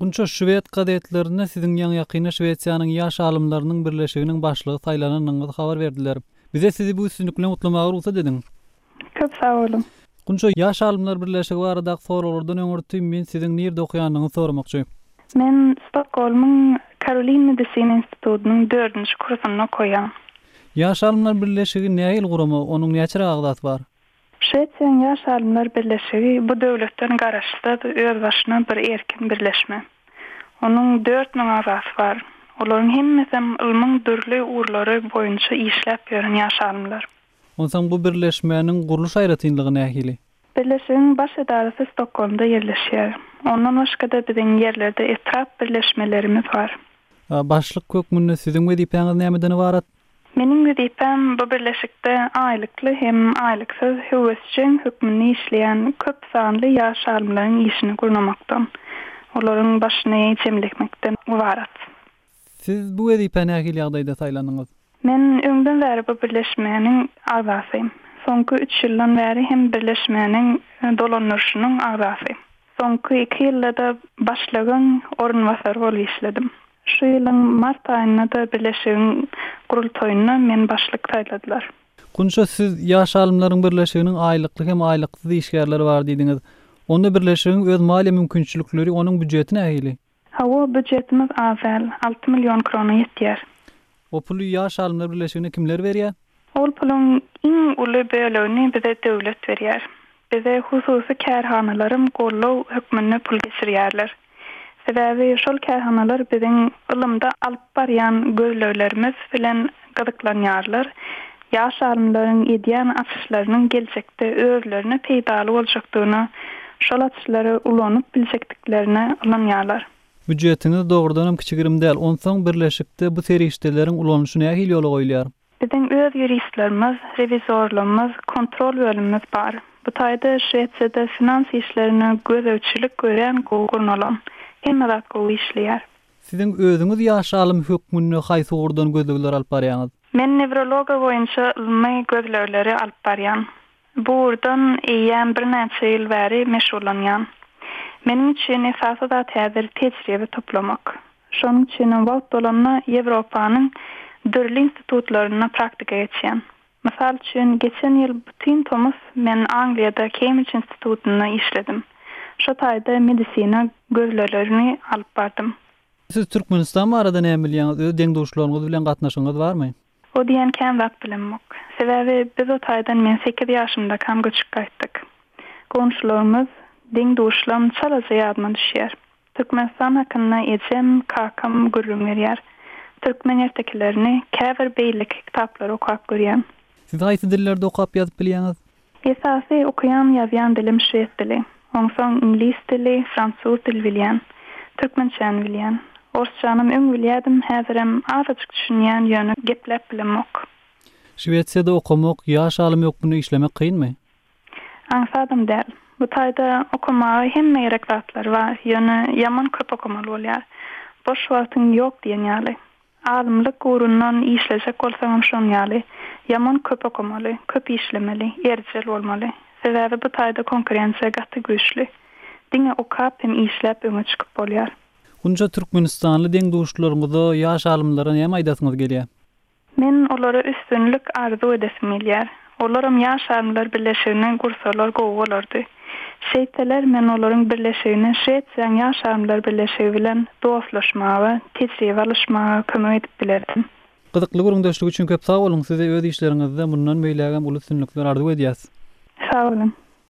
Gunça şwed gazetlerinde siziň ýaňy-ýakynda Şwesiýanyň Ýaş alymlarynyň birleşiginiň başlygy saýlananyňyzy habar berdiler. Bize sizi bu üstünlik bilen gutlamaga rugsat ediň. Köp sag boluň. Gunça, Ýaş alymlar birleşigi baradaky soraglardan öňürti men siziň nirde okaýandygyňyzy soramakçy. Men Stokgolmyň Karolin medisina institutynyň dördünji kursunda okaýan. Ýaş alymlar birleşigi nähili gurama, onuň näçeräk agzasy bar? Şwesiýanyň Ýaş alymlar birleşigi bu döwletden garaşsyz, özbaşyna bir erkin birleşme. Onuň 4000 agzasy bar. Olaryň hemmesem ylmyň dürli ugurlary boýunça işläp ýören ýaş alymlar. Onsoň bu birleşmäniň gurluş aýratynlygy nähili? Birleşigiň baş edarasy Stokgolmda ýerleşýär. Ondan başga-da biziň ýerlerde etrap birleşmelerimiz bar. Başlyk hökmünde siziň wezipäňiz nämeden ybarat? Meniň wezipäm bu birleşikde aýlykly hem aýlyksyz höwesjeň hökmünde işleýän köp sanly ýaş alymlaryň işini gurnamakdan, olaryň başyny jemlemekden ybarat. Siz bu wezipä nähili ýagdaýda saýlandyňyz? Men öňden bäri bu birleşmäniň agzasy. Soňky üç ýyldan bäri hem birleşmäniň dolandyryşynyň agzasy. Soňky iki ýylda-da başlygyň orunbasary bolup işledim. Şu ýylyň mart aýynda-da birleşigiň gurultaýynda meni başlyk saýladylar. Gunça, siz Ýaş alymlaryň birleşiginiň aýlykly hem aýlyksyz işgärleri bar diýdiňiz. Onda birleşigiň öz maliýe mümkinçilikleri, onuň býujeti nähili? Hawa, býujetimiz az däl, 6 million krona ýetýär. O puly Ýaş alymlar birleşigine kimler berýär? Ol puluň iň uly bölegini bize döwlet berýär. Bize hususy kärhanalaram goldaw hökmünde pul geçirýärler. Sebäbi şol kärhanalar biziň ylymda alyp barýan gözleglerimiz bilen gyzyklanýarlar, ýaş alymlaryň edýän açyşlarynyň geljekde özlerine peýdaly boljakdygyna, şol açyşlary ulanyp biljekdiklerine ynanýarlar. Býujetiňiz dogrudanam kiçi-girim däl. Onsoň birleşikde bu serişdeleriň ulanylyşy nähili ýola goýulýar? Biziň öz ýuristlerimiz, rewizorlarymyz, kontrol bölümimiz bar. Bu taýda Şwesiýada finans işlerine gözegçilik örän gowy gurnalan. Hemme zat gowy işleýär. Siziň özüňiz ýaş alym hökmünde haýsy ugurdan gözlegler alyp barýaňyz? Men newrologiýa boýunça ylmy gözlegleri alyp barýan. Bu ugurdan eýýäm birnäçe ýyl bäri meşgullanýan. Meniň üçin esasy zat häzir tejribe toplamak. Şonuň üçinem wagt bolanda Ýewropanyň dürli institutlarynda praktika geçýän. Mysal üçin, geçen ýyl bütin tomus men Angliýada Kembrij institutynda işledim. Şo taýda medisina gözleglerini alyp bardym. Siz Türkmenistan barada näme bilýäňiz? Öz deň-duşlaryňyz bilen gatnaşygyňyz barmy? O diýen kän zat bilemok. Sebäbi biz o taýdan men sekiz ýaşymdakam göçüp gaýtdyk. Goňşularymyz, deň-duşlam çalaja ýadyma düşýär. Türkmenistan hakynda ejem, kakam gürrüň berýär. Türkmen ertekilerini, käbir beýleki kitaplary okap görýän. Siz haýsy dillerde okap ýazyp bilýäňiz? Esasy okaýan ýazýan dilim şwed dili. Onsoň iňlis dili, fransuz dil bilýän. Türkmençäni bilýän. Orsçanam öň bilýädim, häzirem azajyk düşünýän ýöne gepläp bilemok. Şwesiýada okamak, ýaş alym hökmünde işlemek kynmy? Aňsadam däl. Bu taýda okamaga hemme gerek zatlar bar, ýöne ýaman köp okamaly bolýar. Boş wagtyň ýok diýen ýaly. Alymlyk ugrundan işlejek bolsaňam şoň ýaly. Ýaman köp okamaly, köp işlemeli, erjel bolmaly. Sebäbi bu taýda konkurensiýa gaty güýçli. Diňe okap hem işläp öňe çykyp bolýar. Gunça türkmenistanly deň-duşlaryňyza, ýaş alymlara näme aýdasyňyz gelýär? Men olara üstünlik arzuw edesim gelýär. Olaram Ýaş alymlar birleşigini gursalar gowy bolardy. Şeýtseler men olaryň birleşigine Şwesiýaň Ýaş alymlar birleşigi bilen dostlaşmaga, tejribe alyşmaga kömek edip bilerdim. Gyzykly gürrüňdeşlik üçin köp sag boluň! Size öz işleriňizde mundan beýlägem uly üstünlikler arzuw edýäs. Sag boluň!